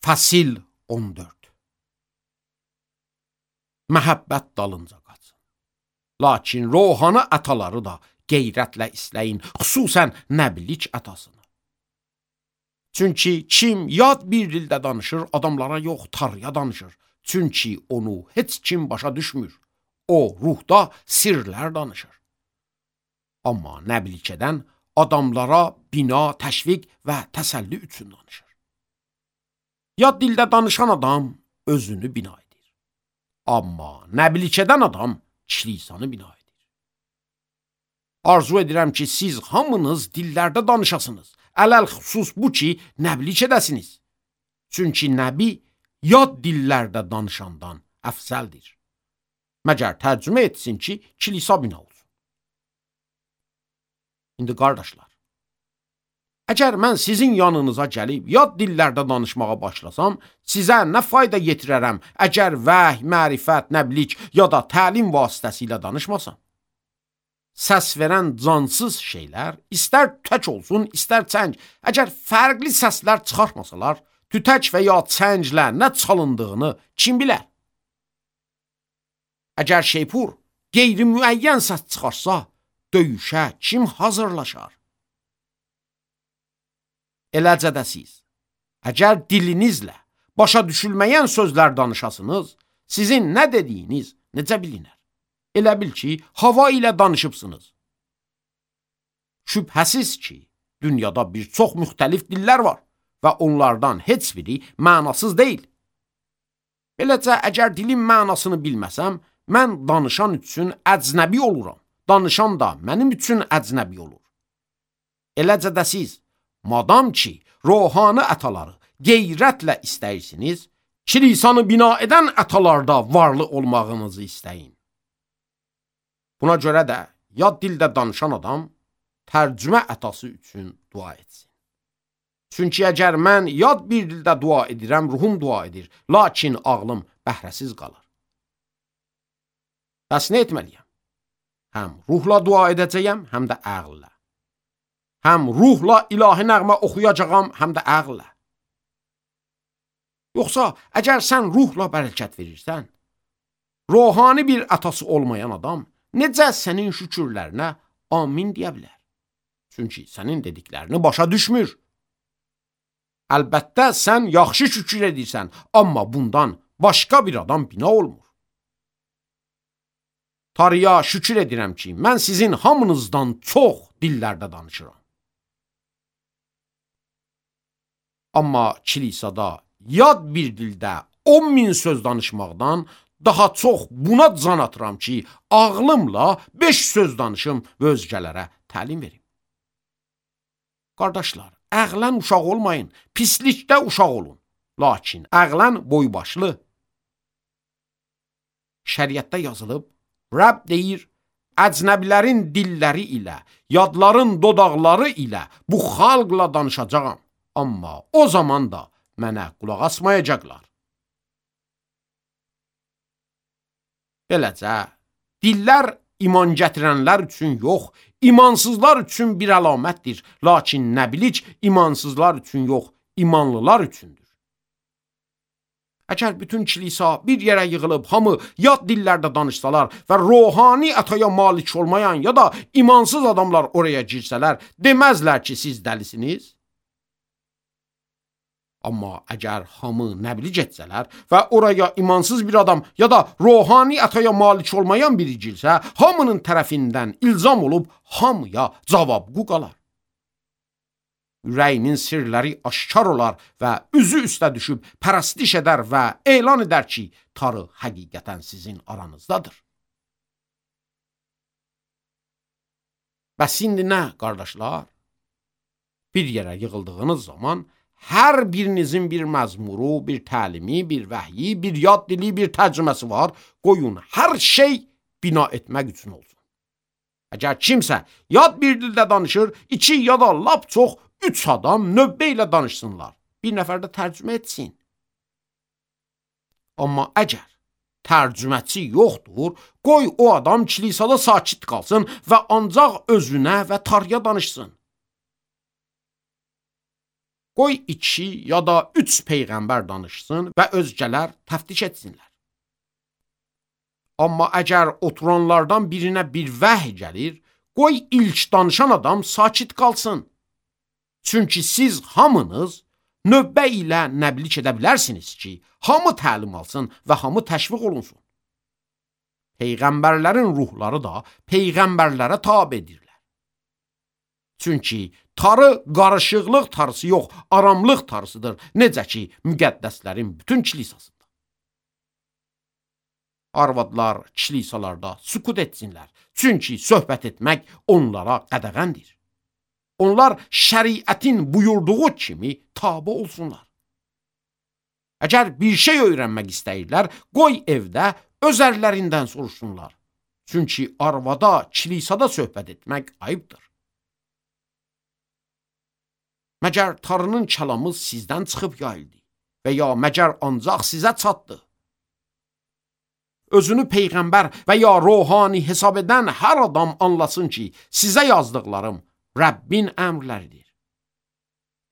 Fəsil 14. Məhəbbət dalınca qaçın. Lakin ruhani ataları da qeyrətlə istəyin, xüsusən nəbilik atasını. Çünki kim yad bir dildə danışır, adamlara yox, Tanrıya danışır. Çünki onu heç kim başa düşmür. O, ruhda sirlər danışır. Amma nəbilik edən adamlara bina, təşviq və təsəlli üçün danışır. Yad dildə danışan adam özünü bina edir. Amma nəbilik edən adam kişilisanı bina edir. Arzu edirəm ki, siz hamınız dillərdə danışasınız. Ələl-xüsus bu ki, nəbilik edəsiniz. Çünki nəbi yad dillərdə danışandan əfzəldir. Məgər tərcümə etsin ki, kilisa bina olsun. İndi qardaşlar, əgər mən sizin yanınıza gəlib yad dillərdə danışmağa başlasam, sizə nə fayda yetirərəm, əgər vəhy, mərifət, nəblik ya da təlim vasitəsilə danışmasam? Səs verən cansız şeylər, istər tütək olsun, istər çəng, əgər fərqli səslər çıxartmasalar, tütək və ya çənglə nə çalındığını kim bilər? Əgər şeypur qeyri-müəyyən səs çıxarsa, döyüşə kim hazırlaşar? Eləcə də siz, əgər dilinizlə başa düşülməyən sözlər danışasınız, sizin nə dediyiniz necə bilinər? Elə bil ki, hava ilə danışıbsınız. Şübhəsiz ki, dünyada bir çox müxtəlif dillər var və onlardan heç biri mənasız deyil. Beləcə, əgər dilin mənasını bilməsəm, mən danışan üçün əcnəbi oluram. Danışan da mənim üçün əcnəbi olur. Eləcə də siz, madam ki, ruhani ataları qeyrətlə istəyirsiniz, kilisanı bina edən atalarda varlı olmağınızı istəyin. Buna görə də yad dildə danışan adam tərcümə atası üçün dua etsin. Çünki əgər mən yad bir dildə dua edirəm, ruhum dua edir, lakin ağlım bəhrəsiz qalır. Bəs nə etməliyəm? Həm ruhla dua edəcəyəm, həm də əqllə. Həm ruhla ilahi nəğmə oxuyacağam, həm də əqllə. Yoxsa, əgər sən ruhla bərəkət verirsən, ruhani bir atası olmayan adam necə sənin şükürlərinə amin deyə bilər? Çünki sənin dediklərini başa düşmür. Əlbəttə, sən yaxşı şükür edirsən, amma bundan başqa bir adam bina olmur. Tanrıya şükür edirəm ki, mən sizin hamınızdan çox dillərdə danışıram. Amma kilisada yad bir dildə 10.000 söz danışmaqdan daha çox buna can atıram ki, ağlımla 5 söz danışım və özgələrə təlim verim. Qardaşlar, əqlən uşaq olmayın, pislikdə uşaq olun. Lakin əqlən boybaşlı. Şəriətdə yazılıb, Rəbb deyir, əcnəbilərin dilləri ilə, yadların dodaqları ilə bu xalqla danışacağam. Amma o zaman da mənə qulaq asmayacaqlar. Beləcə, dillər iman gətirənlər üçün yox, imansızlar üçün bir əlamətdir. Lakin nəbilik imansızlar üçün yox, imanlılar üçündür. Əgər bütün kilisa bir yerə yığılıb, hamı yad dillərdə danışsalar və ruhani ataya malik olmayan ya da imansız adamlar oraya girsələr, deməzlər ki, siz dəlisiniz. Amma əgər hamı nəbilik etsələr və oraya imansız bir adam ya da ruhani ataya malik olmayan biri girsə, hamının tərəfindən ilzam olub hamıya cavabqu qalar. Ürəyinin sirləri aşkar olar və üzü üstə düşüb pərəstiş edər və elan edər ki, Tanrı həqiqətən sizin aranızdadır. Bəs indi nə, qardaşlar? Bir yerə yığıldığınız zaman hər birinizin bir məzmuru, bir təlimi, bir vəhyi, bir yad dili, bir tərcüməsi var. Qoyun, hər şey bina etmək üçün olsun. Əgər kimsə yad bir dildə danışır, 2 ya da lap çox 3 adam növbə ilə danışsınlar. Bir nəfər də tərcümə etsin. Amma əgər tərcüməçi yoxdur, qoy o adam kilisada sakit qalsın və ancaq özünə və Tanrıya danışsın. Qoy 2 ya da 3 peyğəmbər danışsın və özgələr təftiş etsinlər. Amma əgər oturanlardan birinə bir vəhy gəlir, qoy ilk danışan adam sakit qalsın. Çünki siz hamınız növbə ilə nəblik edə bilərsiniz ki, hamı təlim alsın və hamı təşviq olunsun. Peyğəmbərlərin ruhları da peyğəmbərlərə tabedirlər. Çünki tarı qarışıqlıq tarısı yox, aramlıq tarısıdır, necə ki, müqəddəslərin bütün kilisasıdır. Arvadlar kilisalarda sükut etsinlər, çünki söhbət etmək onlara qədəğəndir. Onlar şəriətin buyurduğu kimi tabe olsunlar. Əgər bir şey öyrənmək istəyirlər, qoy evdə öz ərlərindən soruşsunlar. Çünki arvada, kilisada söhbət etmək ayıbdır. Məgər tarının kəlamı sizdən çıxıb yayıldı və ya məgər ancaq sizə çatdı? Özünü peyğəmbər və ya ruhani hesab edən hər adam anlasın ki, sizə yazdıqlarım Rəbbin əmrləridir.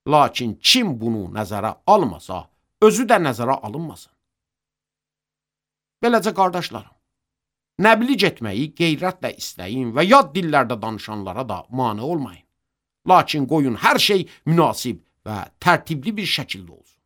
Lakin kim bunu nəzərə almasa, özü də nəzərə alınmasın. Beləcə qardaşlarım, nəblik etməyi qeyrətlə istəyin və yad dillərdə danışanlara da mane olmayın. Lakin qoyun hər şey münasib və tərtibli bir şəkildə olsun.